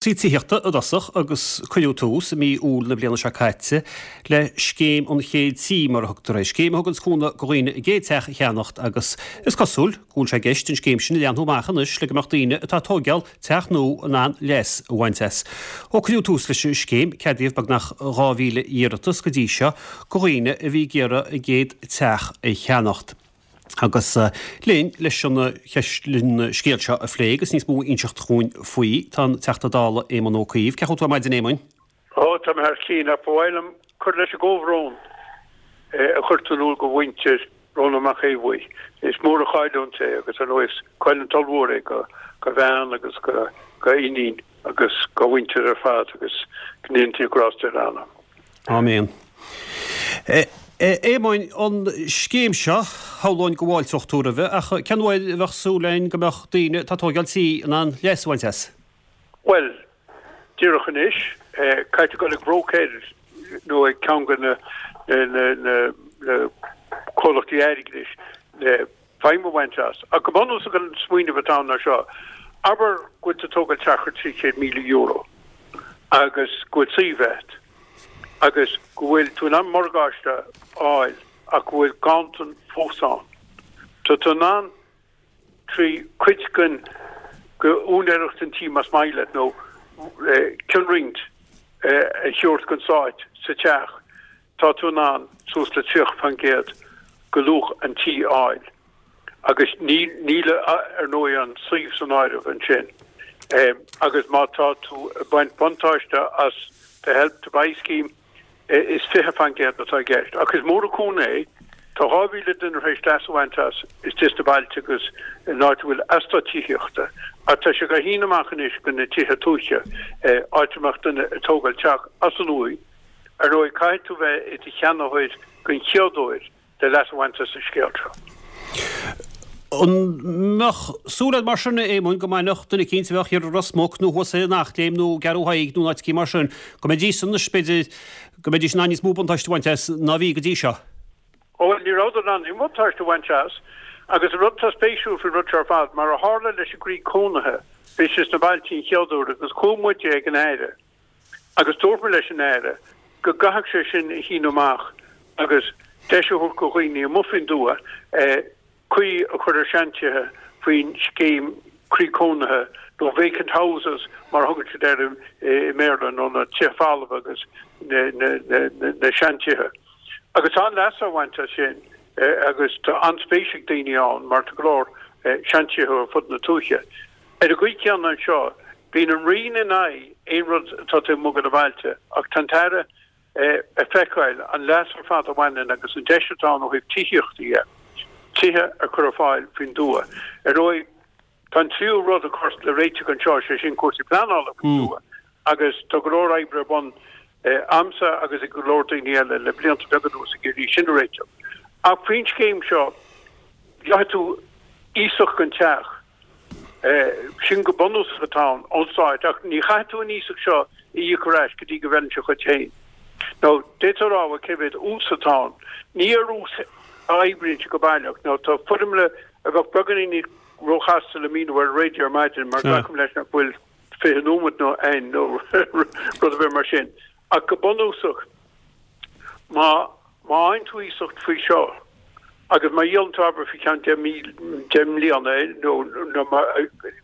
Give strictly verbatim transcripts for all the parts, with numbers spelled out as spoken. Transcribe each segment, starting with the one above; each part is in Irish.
Cúrsaí tithíochta i dtosach agus cuireadh tús i mí Iúil na bliana seo caite le Scéim an Chéad Tí, mar a thugtar air, scéim a thugann cúnamh do dhaoine a gcéad teach a cheannacht agus is cosúil go bhfuil sé i gceist an scéim sin a leathnú amach anois le go mbeadh daoine atá ag tóigeáil teach nua in ann leas a bhaint as. Ó cuireadh tús leis an scéim, ceadaíodh beagnach dhá mhíle iarratas go dtí seo do dhaoine a bhí ag iarraidh a gcéad teach a cheannacht. Agus linn leis an scéal seo a phlé agus níos mó a inseacht dhúinn faoi, tá an Teachta Dála Éamon Ó Cuív. Cén chaoi a bhfuil tú ar maidin, Éamoin? Ó, tá mé thar cinn, ach ba mhaith liom cur leis an gcomhbhrón a chuir tú in iúl go mhuintir Rónán Mac Aodha Bhuí. Is mór an chailliúint é agus ar ndóigh is cailliúint ollmhór é go bhean agus go iníon agus dá mhuintir ar fad agus go ndéana Dia grásta ar a anam. Áiméan. Éamoin, an scéim seo, shamhlóinn go bhfáilteodh tú roimhe, ach cén uair a bheadh súil againn go mbeadh daoine atá ag tóigeáil tí in ann leas a bhaint as? Bhuel, díreach anois, caithfidh tú dul ag bróicéir nó ag ceann de na comhlachtaí airgeadais le feidhm a bhaint as. Ach go bunúsach an smaoineamh atá ann ná seo, abair go bhfuil tú ag tógáil teach ar trí chéad míle euro agus go bhfuil suíomh agat agus go bhfuil tú in ann morgáiste a fháil ach go bhfuil ganntan fós ann. Tá tú in ann trí cuid den úinéireacht an tí más maith leat nó cionroinnt a thabhairt don Stát sa teach, tá tú in ann suas le tríocha faoin gcéad de luach an tí a fháil. Agus níl ar ndóigh an suíomh san áireamh ansin. Agus má tá tú ag baint buntáiste as the Help to Buy scheme, is fiche faoin gcéad atá i gceist. Ach is mór an cúnamh é. Tá dhá mhíle duine tar éis leas a bhaint as istigh sna bailte agus in áit a bhfuil eastát tithíochta. Ach tá sé ag síneadh amach anois go na tithe tuaithe, áit a mbeadh duine ag tógáil teach as an uaigh. Ar ndóigh, caithfidh tú bheith i do cheannaitheoir den chéad uair le leas a bhaint as an scéal seo. An mbeadh súil agat mar sin, a Éamoin, go mbainfeadh duine eicínt a bheadh thiar i Ros Muc nó thuas in Eachléim nó i gCeathrú Thaidhg nó in áit eicínt mar sin, go mbeidís anois, b'fhéidir, go mbeidís in ann níos mó buntáiste a bhaint as ná bhí go dtí seo? Ó bhuel, ní rabhadar in ann aon bhuntáiste a bhaint as. Agus an rud atá spéisiúil faoin rud seo ar fad, mar a tharla leis an gcroí cónaithe, bhí sé sna bailte an chéad uair agus chuaigh muide ag an Aire agus dúirt muid leis an Aire go gcaithfeadh sé sin a shíneadh amach agus deis a thabhairt do dhaoine amuigh faoin dtuath caoi a chur ar seantithe faoin scéim croí cónaithe nó vacant houses mar a thugann siad air i mBéarla nó na tithe folmha agus na seantithe. Agus tá an-leas á bhaint as sin agus tá an-spéis ag daoine ann mar tá go leor seantithe ar fud na tuaithe. Ar an gcaoi chéanna anseo, bíonn an Roinn in aghaidh aon rud atá taobh amuigh de na bailte ach tá an tAire ag feiceáil an leas ar fad a bhaineann agus an deis atá ann ó thaobh tithíochta dhe, tithe a chur ar fáil faoin dtuath. Ar ndóigh, tá an tríú rud a chur le réiteach anseo, sé sin cúrsaí pleanála faoin tuath agus tá go leor oibre ar bun a'msa agus ag go leor daoine eile le blianta beaga anuas ag iarraidh sin a réiteach. Ach faoin scéim seo, gheobhaidh tú iasacht don teach. Sin go bunúsach atá ann ón Stát ach ní chaithfidh tú an iasacht seo a íoc ar ais go dtí go bhfeileann sé dhuit féin. Nó d'fhéadfá a rá, bhuel, cé mhéad ús atá ann? Ní ar ús a oibríonn sé go baileach. Nó tá foirmle a bheadh beagáinín róchasta le míniú ar an raidió ar maidin mar glacaim leis nach bhfuil fiche nóiméad nó aon nó rud ar bith mar sin. Ach go bunúsach, má Má fhaigheann tú iasacht faoi seo agus má dhíolann tú abair faoi cheann deich mí, deich mbliana é nó nó má,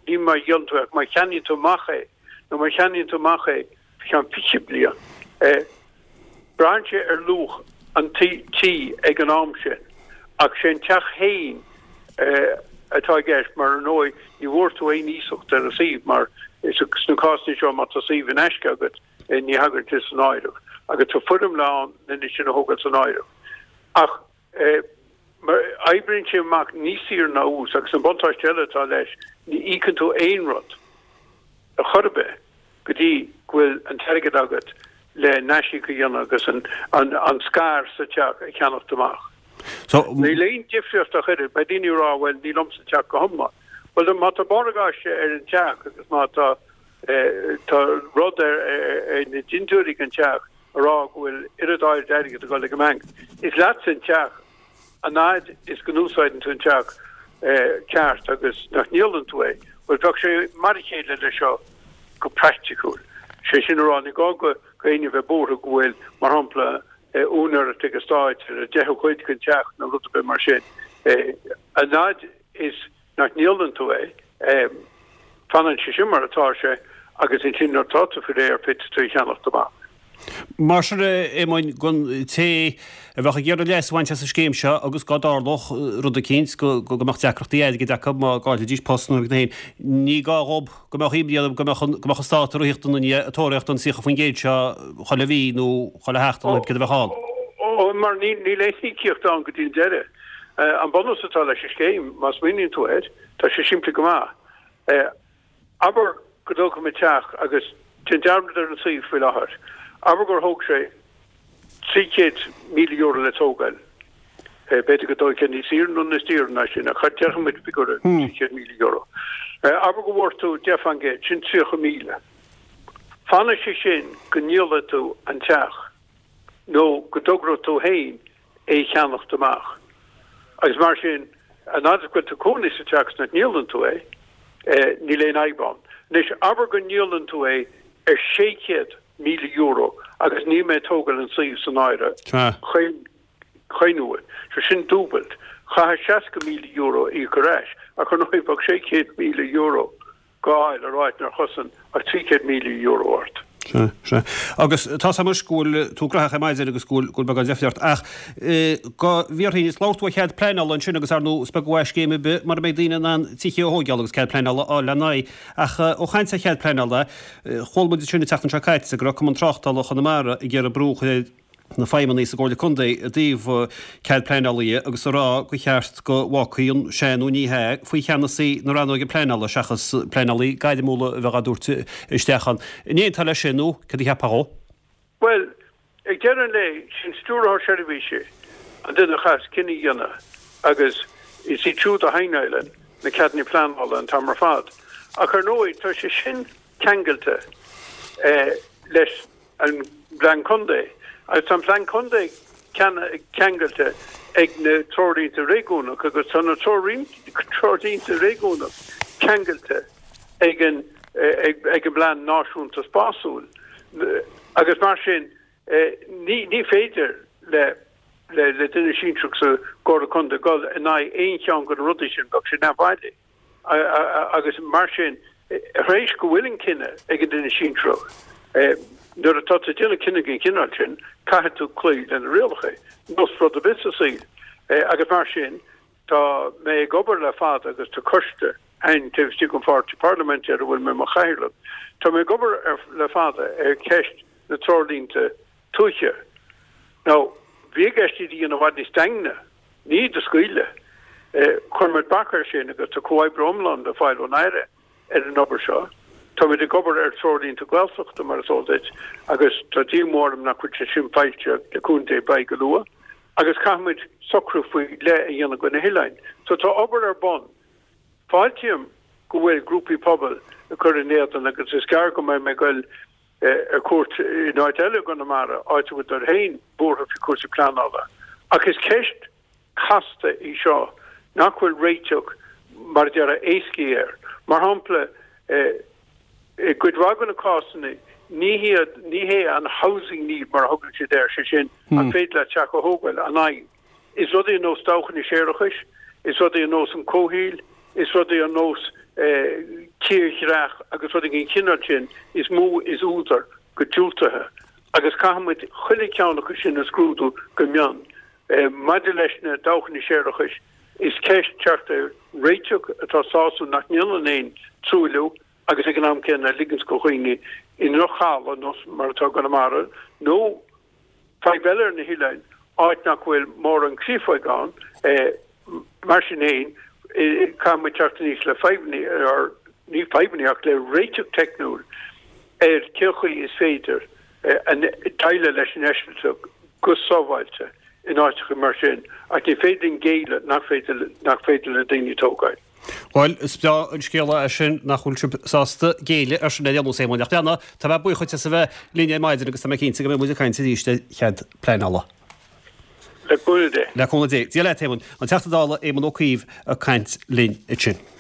ní má dhíolann tú é ach má cheannaíonn tú amach é nó má cheannaíonn tú amach é faoi cheann fiche bliain, braitheann sé ar luach an tí, tí ag an am sin ach sé an teach féin atá i gceist mar ar ndóigh ní bhfuair tú aon iasacht ar an suíomh mar sna cásanna seo má tá suíomh in aisce agat, ní thagann sé san áireamh agus tá foirmle ann lena sin a thógáil san áireamh. Ach oibríonn sé amach níos saoire ná ús agus an buntáiste eile atá leis, ní íocann tú aon rud ar chor ar bith go dtí go bhfuil an t-airgead agat le n-aisíoc a dhéanamh agus an scair sa teach a cheannacht amach. Níl aon difríocht ach oiread. Beidh daoine ag rá, bhuel, ní liomsa an teach go hiomlán. Bhuel, má tá morgáiste ar an teach agus má tá Tá rud ar na dintiúirí den teach ag rá go bhfuil oiread áirid airgid ag dul ag an mbanc. Is leatsa an teach an fhaid is go n-úsáideann tú an teach ceart agus nach ndíolann tú é. Bhuel, bheadh sé mar a chéile leis seo go go praiticiúil. Sé sin a rá, ní gá go éinne bheith buartha go bhfuil, mar shampla, úinéireacht ag an Stát ar an deichiú cuid den teach nó rud ar bith mar sin. An fhad is nach ndíolann tú é, fanann sé sin mar atá sé agus ansin nuair atá tú faoi réir féadfaidh tú é a cheannacht amach. Mar sin, a Éamoinn, don té a bheadh ag iarraidh leas a bhaint as an scéim seo agus dá dtarlódh rud eicínt go mbeadh deacrachtaí airgid acu má gcaillfidís post nó rud éigin, ní gá dhób go mbeadh imní orthu go mbeadh an go mbeadh an stát ag rith ina ndiaidh ag tóraíocht an tríocha faoin gcéad seo chuile mhí nó chuile sheachtain nó céard a bheadh ann. Ó, mar níl aon íocaíocht ann go dtí an deireadh. An bunús atá leis an scéim, má smaoiníonn tú air, tá sé simplí go maith. Abair go dtógfaidh mé teach agus déan dearmad ar an suíomh faoi láthair. Abair gur thóg sé trí chéad míle euro le tógáil. B'fhéidir go dtógfaidh sé níos saoire nó níos daoire ná sin, ach déarfaidh muid figiúr trí chéad míle euro. Abair go bhfuair tú deich faoin gcéad, sin tríocha míle. Fanfaidh sé sin go ndíolfaidh tú an teach nó go dtogróidh tú féin é a cheannacht amach. Agus mar sin, an fhad is go bhfuil tú cónaí sa teach is nach ndíolann tú é, níl aon fhadhb ann. Anois, abair go ndíolann tú é ar sé chéad míle euro agus níl mé ag tógáil an suíomh san áireamh chaon uair. So sin dúbailt. Chaithfeá seasca míle euro a íoc ar ais, ach ar ndóigh bheadh sé chéad míle euro dhá fháil ar áit nár chosain ach trí chéad míle euro ort. Sea, sea. Agus tá 's a'm anois go bhfuil tú graitheach ar maidin agus go bhfuil, go bhfuil beagán deifre ort. Ach go bhfiafróinn, is labhair tú ar chead pleanála ansin agus ar ndóigh is beag uaidh scéim ar bith mura mbeidh daoine in ann tithe a thóigeáil agus cead pleanála a fháil lena n-aghaidh. Ach ó chaint ar chead pleanála, chuala muid ansin an tseachtain seo caite go raibh Cumann Tráchtála Chonamara ag iarraidh brú a chur ar na feidhmeannaigh sa gComhairle Contae i dtaobh cead pleanála agus a rá gur cheart go bhfágfaí an sea nó ní hea faoi cheannasaí na rannóige pleanála seachas pleanálaí gairmiúla a bheith á dtabhairt isteach ann. An aontófá leis sin nó cad a cheapfá dhó? Bhuel, ag deireadh an lae, sin Stiúrthóir Seirbhíse an duine a chaithfeas cinneadh a dhéanamh agus is iad siúd a shaighneálann na ceadanna pleanála an t-am ar fad. Ach ar ndóigh, tá sé sin ceangailte leis an bPlean Contae agus tá an Plean Contae ceangailte ag na Treoirlínte Réigiúnach agus tá na Treoirlínte Réigiúnach ceangailte ag an ag an bPlean Náisiúnta Spásúil agus mar sin ní ní féidir le le duine sinsearach sa gComhairle Contae dul in aghaidh aon cheann de na rudaí sin, bheadh sé neamhbhailí. Agus mar sin, tar éis go bhfuil an cinneadh ag an duine sinsearach, nuair atá tú ag déanamh cinneadh den chineál sin, caithfidh tú cloí le na rialacha, nós rud ar bith sa saol. Agus mar sin, tá mé ag obair le fada agus tá coiste ann taobh istigh den pháirtí parlaiminte ar a bhfuil mé i mo chathaoirleach, tá mé ag obair le fada ar cheist na treoirlínte tuaithe. Now, bhí i gceist iad a dhéanamh i bhfad níos daingne. Ní iad a scaoileadh. Chuir muid bac air sin agus tá comhoibriú iomlán le fáil ón Aire ar an obair seo. Táimid ag obair ar threoirlínte Gaeltachta, mar is eol duit, agus tá díomá orm nach bhfuil sé sin foilsithe, le cúnamh Dé beidh go luath, agus caithfimid socrú faoi leith a dhéanamh do na hoileáin. So tá obair ar bun. Fáiltím go bhfuil grúpaí pobail ag cur in éadan agus is gearr go mbeidh mé ag goil ar cuairt in áit eile i gConamara, áit a bhfuil siad féin buartha faoi chúrsaí pleanála. Ach is ceist chasta í seo nach bhfuil réiteach, mar a déarfá, éascaí air. Mar shampla, i gcuid mhaith de na cásanna, ní hiad, ní hé an housing need mar a thugann siad air, sé sin, an féidir leat teach a thógáil, an fhadhb. Is rudaí ar nós dabhchanna séarachais, is rudaí ar nós an comhshaoil, is rudaí ar nós tírdhreach agus rudaí den chineál sin is mó is údar go diúltaithe agus caithfidh muid chuile cheann acu sin a scrúdú go mion. Maidir leis na dabhchanna séarachais, is ceist teacht ar réiteach atá sásúil nach ndéanann aon truailliú agus ag an am céanna a ligeanns go dhaoine i ndroch-thalamh, nós mar atá i gConamara, nó Fadhb eile ar na hoileáin, áit nach bhfuil mórán créafóg ann, mar sin féin, caithfidh muid teacht aníos le fadhbanna, or ní fadhbanna ach le réiteach teicniúil ar cén chaoi is féidir déileáil leis an eisilteach go sábháilte in áiteacha mar sin, ach ní féidir linn géilleadh nach féidir nach féidir le daoine tógáil. Bhuel, is breá an scéala é sin nach bhfuil sibh sásta géilleadh ar sin ar aon nós, a Éamoinn. Ach leana, tá mé buíoch duit as a bheith linn ar maidin agus tá mé cinnte go mbeidh muid ag caint arís ar chead pleanála. Le cúnamh Dé. Le cúnamh Dé. Dia leat, Éamonn. An Teachta Dála Éamon Ó Cuív ag caint linn ansin.